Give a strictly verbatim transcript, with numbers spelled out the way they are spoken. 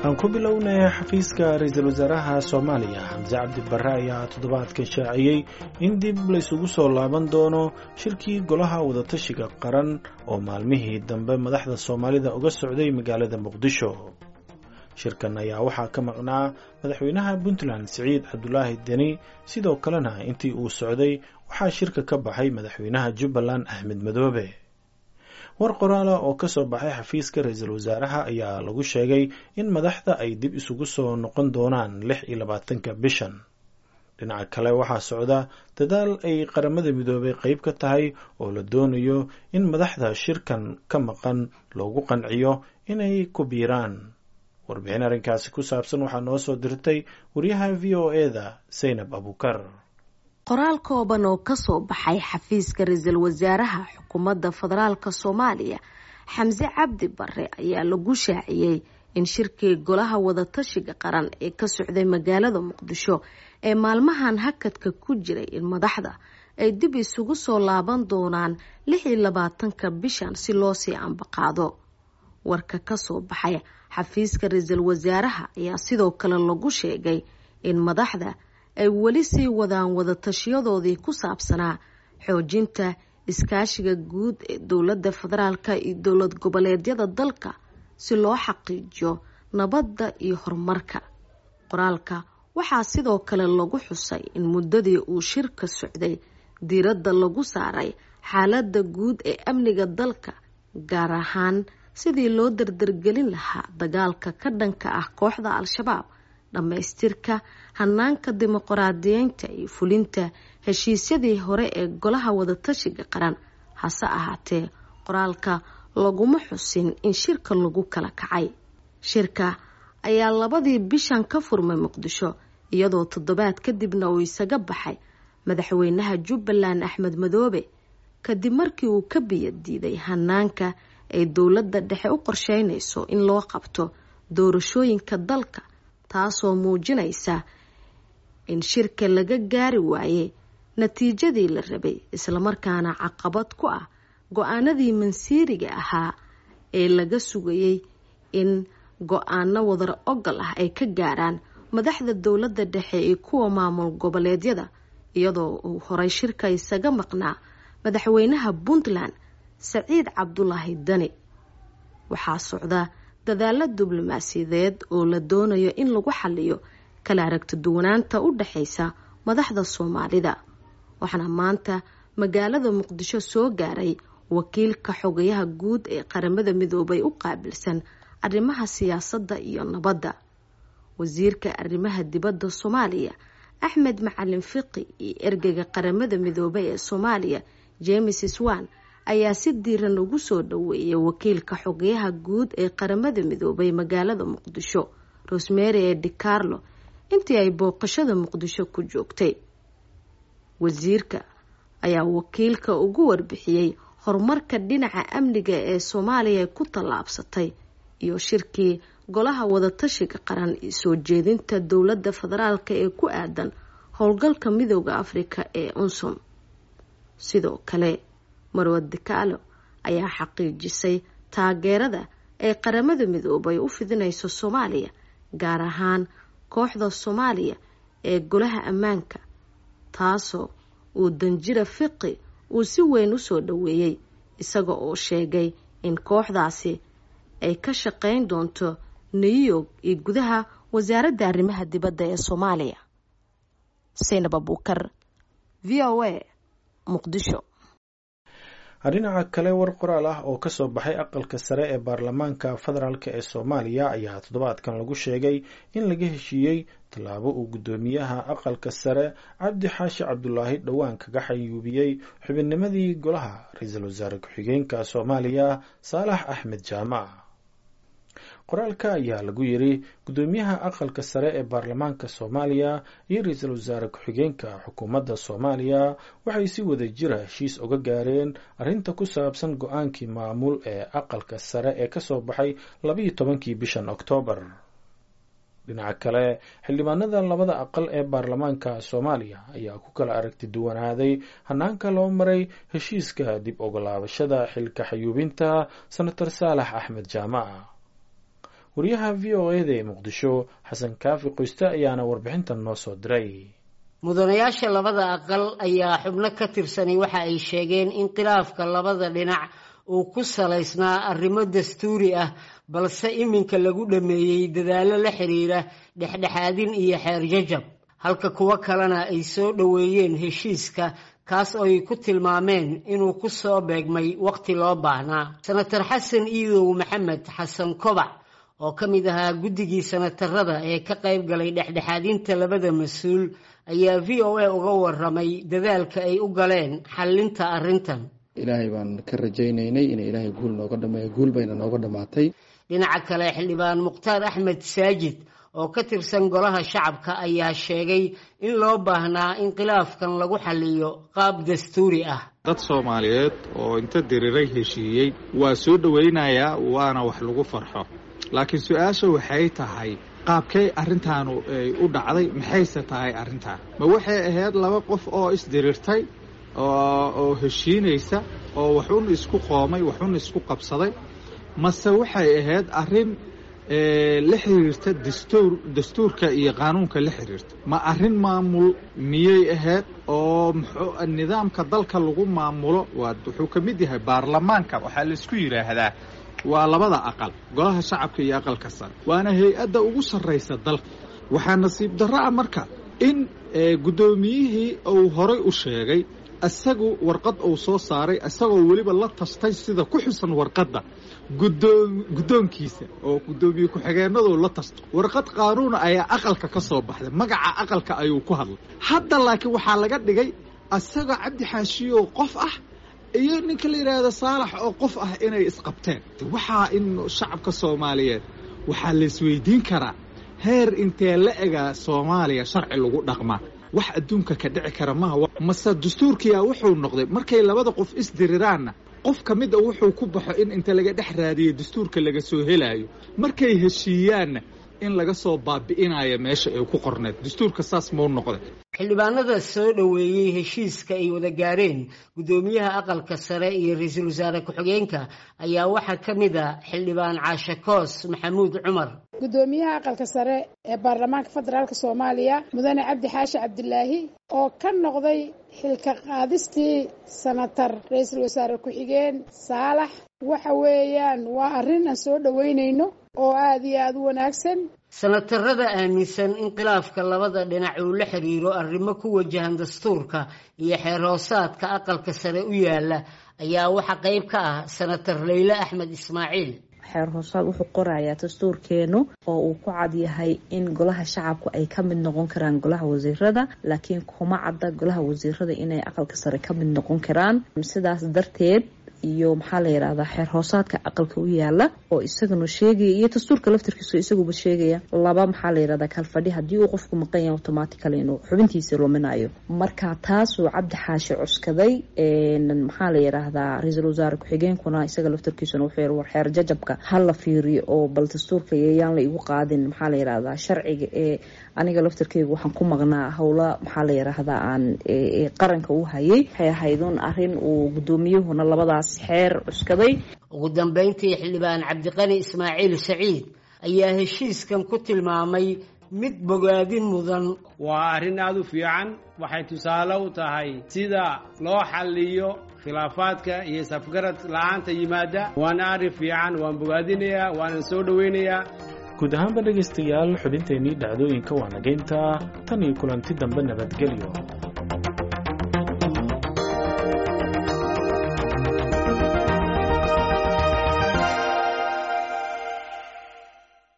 Aan ku bilownay xafiiska ra-iisul wasaaraha Soomaaliya Xamse Cabdi Barre ayaa toddobaadkan shaaciyey in dib la isugu soo laaban doono shirkii golaha wadatashiga qaran oo maalmihii dambe madaxda Soomaalida uga socday magaalada Muqdisho. Shirkan ayaa waxaa ka maqnaa madaxweynaha Puntland Siciid Cabdulaahi Deni, sidoo kalena intii uu socday waxaa shirka ka baxay madaxweynaha Jubbaland Axmed Madoobe. War qoraala oo ka soo baxay xafiiska ra-iisul wasaaraha ayaa lagu sheegay in madaxda ay dib isugu soo noqon doonaan lix iyo labaatanka bishan. Dhinaca kale waxaa socda dadaal ay Qaramada Midoobay qayb ka tahay oo la doonayo in madaxda shirkan ka maqan loogu qanciyo inay ku biiraan. Warbixin arrinkaasi ku saabsan waxaa noo soo dirtay wariyaha V O E-da Saynab Abuukar. Qoraal kooban oo kasoo baxay xafiiska ra-iisul wasaaraha xukuumadda federaalka Soomaaliya Xamse Cabdi Barre ayaa lagu shaaciyey in shirkii golaha wadatashiga qaran ee ka socday magaalada Muqdisho ee maalmahan hakadka ku jiray in madaxda ay dib isugu soo laaban doonaan lix iyo labaatanka bishan si loo sii ambaqaado. Warka kasoo baxay xafiiska ra-iisul wasaaraha ayaa sidoo kale lagu sheegay in madaxda ay weli sii wadaan wadatashiyadoodii ku saabsanaa xoojinta iskaashiga guud ee dowladda federaalka iyo dowlad goboleedyada dalka si loo xaqiijiyo nabadda iyo horumarka. Qoraalka waxaa sidoo kale lagu xusay in muddadii uu shirka socday diiradda lagu saaray xaaladda guud ee amniga dalka, gaar ahaan sidii loo dardargelin lahaa dagaalka ka dhanka ah kooxda Al-Shabaab, dhammaystirka hanaanka dimuqraadiyeynta iyo fulinta heshiisyadii hore ee golaha wadatashiga qaran. Hase ahaatee, qoraalka laguma xusin in shirka lagu kala kacay. Shirka ayaa labadii bishan ka furmay Muqdisho, iyadoo toddobaad kadibna uu isaga baxay madaxweynaha Jubbaland Axmed Madoobe kadib markii uu ka biyo diiday hanaanka ay dowladda dhexe u qorsheynayso in loo qabto doorashooyinka dalka, taasoo muujinaysa in shirka laga gaari waayey natiijadii la rabay, islamarkaana caqabad ku ah go-aanadii mansiiriga ahaa ee laga sugayey in go-aano wadar ogol ah ay ka gaaraan madaxda dowladda dhexe iyo kuwa maamul goboleedyada, iyadoo uu horay shirka isaga maqnaa madaxweynaha Puntland Siciid Cabdulaahi Deni. Waxaa socda dadaalo diblomaasiyadeed oo la doonayo in lagu xaliyo kala aragti duwanaanta u dhaxaysa madaxda Soomaalida, waxaana maanta magaalada Muqdisho soo gaaray wakiilka xogayaha guud ee Qaramada Midoobay u qaabilsan arrimaha siyaasadda iyo nabadda. Wasiirka arrimaha dibadda Soomaaliya Axmed Macalin Fiqi iyo ergeyga Qaramada Midoobay ee Soomaaliya James Swan ayaa si diiran ugu soo dhaweeyay wakiilka xogayaha guud ee Qaramada Midoobay magaalada Muqdisho Rosemary ee DiCarlo intii ay booqashada Muqdisho ku joogtay. Wasiirka ayaa wakiilka ugu warbixiyey horumarka dhinaca amniga ee Soomaaliya ku tallaabsatay iyo shirkii golaha wadatashiga qaran iyo soo jeedinta dowladda federaalka ee ku aadan howlgalka Midowga Afrika ee UNSOM. Sidoo kale, Marwa DiCarlo ayaa xaqiijisay taageerada ay Qaramada Midoobay u fidinayso Soomaaliya, gaar ahaan kooxda Soomaaliya ee golaha ammaanka, taasoo uu Danjira Fiqi uu si weyn u soo dhaweeyey, isaga oo sheegay in kooxdaasi ay ka shaqeyn doonto New York iyo gudaha wasaaradda arrimaha dibadda ee Soomaaliya. Saynab Abuukar, V O A, Muqdisho. Dhinaca kale, war qoraal ah oo kasoo baxay aqalka sare ee baarlamaanka federaalk ee Soomaaliya ayaa toddobaadkan lagu sheegay in laga heshiiyey tallaabo uu guddoomiyaha aqalka sare Cabdi Xaashi Cabdulaahi dhowaan kaga xayuubiyey xubinnimadii golaha ra-iisul wasaare ku-xigeenka Soomaaliya Saalax Axmed Jaamac. Qoraalka ayaa lagu yiri guddoomiyaha aqalka sare ee baarlamaanka Soomaaliya iyo ra-iisul wasaare ku-xigeenka xukuumadda Soomaaliya waxay si wada jira heshiis uga gaareen arrinta ku saabsan go-aankii maamul ee aqalka sare ee kasoo baxay labiyo tobankii bishan Oktoobar. Dhinaca kale, xildhibaanada labada aqal ee baarlamaanka Soomaaliya ayaa ku kala aragti duwanaaday hanaanka loo maray heshiiska dib ogolaabashada xilka xayuubinta Senator Saalax Axmed Jaamac. Wariyaha V O E da ee Muqdisho, Xasan Kaafi Qoyste, ayaana warbixintan noo soo diray. Mudanayaasha labada aqal ayaa xubno ka tirsanay waxa ay sheegeen in khilaafka labada dhinac uu ku salaysnaa arrimo dastuuri ah, balse iminka lagu dhameeyey dadaallo la xiriira dhexdhexaadin iyo xeer jajab, halka kuwo kalena ay soo dhoweeyeen heshiiska kaas oo ay ku tilmaameen inuu ku soo beegmay waqti loo baahnaa. Senator Xasan Iidow Maxamed Xasan Kobac oo ka mid ahaa guddigii senatarada ee ka qayb galay dhexdhexaadinta labada mas-uul ayaa V O A uga waramay dadaalka ay u galeen xallinta arrintan. Ilaahay baan ka rajaynaynay inay ilaahay guul nooga dhameeyo, guul bayna nooga dhammaatay. Dhinaca kale, xildhibaan Mukhtaar Axmed Saajid oo ka tirsan golaha shacabka ayaa sheegay in loo baahnaa in khilaafkan lagu xalliyo qaab dastuuri ah. Dad Soomaaliyeed oo inta diriiray heshiiyey waa soo dhoweynayaa, waana wax lagu farxo, laakiin su-aasha waxay tahay qaabkay arrintaanu ay u dhacday, maxayse tahay arrintaan? Ma waxay ahayd laba qof oo isdiriirtay oo heshiinaysa oo waxun isku qoomay, waxun isku qabsaday, mase waxay ahayd arrin la xiriirta dastuur dastuurka iyo qaanuunka la xiriirta? Ma arrin maamul miyay ahayd oo muxuu nidaamka dalka lagu maamulo? Waa wuxuu ka mid yahay baarlamaanka, waxaa laisku yidhaahdaa waa labada aqal, golaha shacabka iyo aqalka sare, waana hay-adda ugu sarraysa dalka. Waxaa nasiib darro ah marka in guddoomiyihii uu horay u sheegay isagu warqad uu soo saaray, isagoo weliba la tashtay sida ku xusan warqadda gudoom guddoonkiisa oo guddoomiye ku-xigeenadu la tashtay, warqad qaanuuna ayaa aqalka ka soo baxday, magaca aqalka ayuu ku hadlay. Hadda laakiin waxaa laga dhigay isagoo Cabdi Xaashiyo qof ah iyo ninka la yidhaahdo Saalax oo qof ah inay isqabteen. Waxaa in shacabka Soomaaliyeed waxaa la isweydiin karaa heer intee la egaa Soomaaliya sharci lagu dhaqmaa? Wax adduunka ka dhici kara maaha. Mase dastuurkiyaa wuxuu noqday markay labada qof isdiriraanna qof ka mid a wuxuu ku baxo in inta laga dhex raadiyo dastuurka laga soo helaayo, markay heshiiyaanna in laga soo baabi'inayo meesha ay ku qorneed dastuurka, saas muu noqday. Xildhibaanada soo dhoweeyey heshiiska ay wada gaareen guddoomiyaha aqalka sare iyo ra-iisul wasaare ku-xigeenka ayaa waxaa ka mid a xildhibaan Caashe Koos Maxamuud Cumar. Guddoomiyaha aqalka sare ee baarlamaanka federaalk Soomaaliya, mudane Cabdi Xaashi Cabdilaahi, oo ka noqday xilka qaadistii senatar ra-iisul wasaare ku-xigeen Saalax, waxa weeyaan waa arrin aan soo dhoweynayno oo aada iyo aada u wanaagsan. Senatarada aaminsan in khilaafka labada dhinac uu la xiriiro arrimo ku wajahan dastuurka iyo xeer hoosaadka aqalka sare u yaala ayaa waxaa qayb ka ah senatar Leyle Axmed Ismaaciil. Xeer hoosaad wuxuu qorayaa dastuurkeenu oo uu ku cad yahay in golaha shacabku ay ka mid noqon karaan golaha wasiirada, laakiin kuma cadda golaha wasiirada inay aqalka sare ka mid noqon karaan. Sidaas darteed iyo maxaa la yidhahdaa xeer hoosaadka aqalka u yaala oo isagana sheegaya iyo dastuurka laftarkiisu isaguba sheegaya laba maxaa la yidhahdaa kalfadhi haddii uu qofku maqan yahay automatically inuu xubintiisa luminayo. Marka taasuu Cabdi Xaashi cuskaday, maxaa la yidhaahdaa ra-iisul wasaare ku-xigeenkuna isaga laftarkiisuna wuxuu yiri war xeer jajabka ha la fiiriyo oo bal dastuurka yayaan la igu qaadin maxaa la yidhahdaa sharciga ee aniga laftarkeyga waxaan ku maqnaa howla maxaa la yidhaahdaa aan qaranka u hayay. Waxay ahayd un arrin uu guddoomiyuhuna labadaas xeer cuskaday. Ugu dambeyntii, xildhibaan Cabdiqani Ismaaciil Saciid ayaa heshiiskan ku tilmaamay mid bogaadin mudan. Waa arrin aada u fiican, waxay tusaale u tahay sida loo xalliyo khilaafaadka iyo safgarad la-aanta yimaada. Waana arrin fiican, waan bogaadinayaa, waanan soo dhoweynayaa. Guud ahaanba dhegaystayaal, xubinteennii dhacdooyinka waa nageynta tan iyo kulanti dambe, nabadgelyo.